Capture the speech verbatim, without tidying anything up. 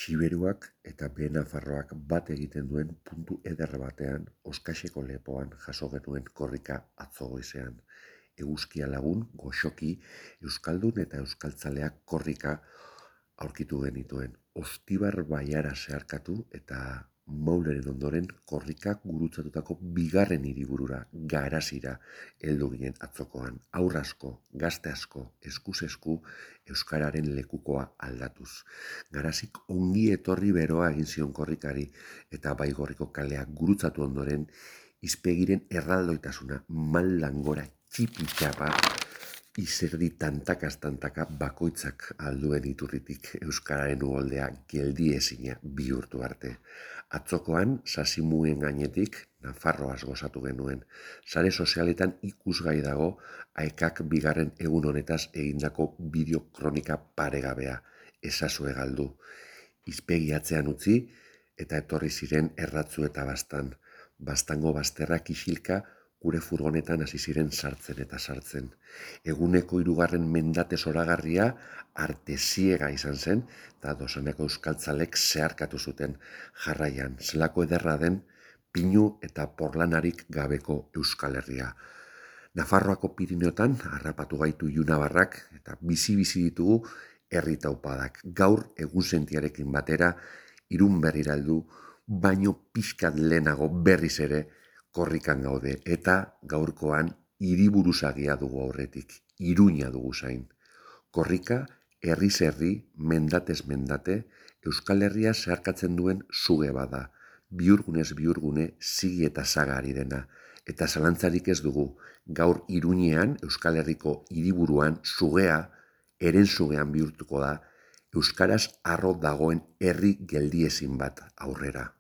Xiberuak eta Behe Nafarroak bat egiten duen puntu eder batean, Oskaxeko lepoan jaso genuen korrika atzo goizean. Eguzkia lagun, goxoki, euskaldun eta euskaltzaleak korrika aurkitu genituen. Ostibar baiara zeharkatu eta Mauleren ondoren korrikak gurutzatutako bigarren hiriburura, Garasira, heldu ginen atzokoan. Haur asko, gazte asko, eskuz esku, euskararen lekukoa aldatuz. Garasik ongi etorri beroa egin zion korrikari eta Baigorriko kaleak gurutzatu ondoren izpegiren erraldoitasuna maldan gora txipitxapa izerdi tantakaz tantaka bakoitzak alduen iturritik euskararen uholdea geldiezina bihurtu arte. Atzokoan, sasimuen gainetik, Nafarroaz gozatu genuen. Sare sozialetan ikusgai dago aekak bigarren egun honetaz egindako bideo kronika paregabea. Ezazue galdu. Izpegi atzean utzi eta etorri ziren erratzu eta bastan. Bastango bazterrak isilka gure furgonetan hasi ziren sartzen eta sartzen. Eguneko hirugarren mendate zoragarria arteziega izan zen eta dozeneko euskaltzalek zeharkatu zuten jarraian. Zelako ederra den pinu eta porlanarik gabeko Euskal Herria. Nafarroako Pirineotan harrapatu gaitu ilunabarrak eta bizi-bizi ditugu herri taupadak. Gaur egunsentiarekin batera Irun berrira heldu, baino pixkat lehenago berriz ere korrikan gaude eta gaurkoan hiriburuzagia dugu aurretik, Iruña dugu zain. Korrika, herriz herri, mendatez mendate, Euskal Herria zeharkatzen duen suge bada, bihurgunez bihurgune zigi eta saga ari dena. Eta zalantzarik ez dugu, gaur Iruñean, Euskal Herriko hiriburuan, sugea, eren sugean bihurtuko da, euskaraz harro dagoen herri geldiezin bat aurrera.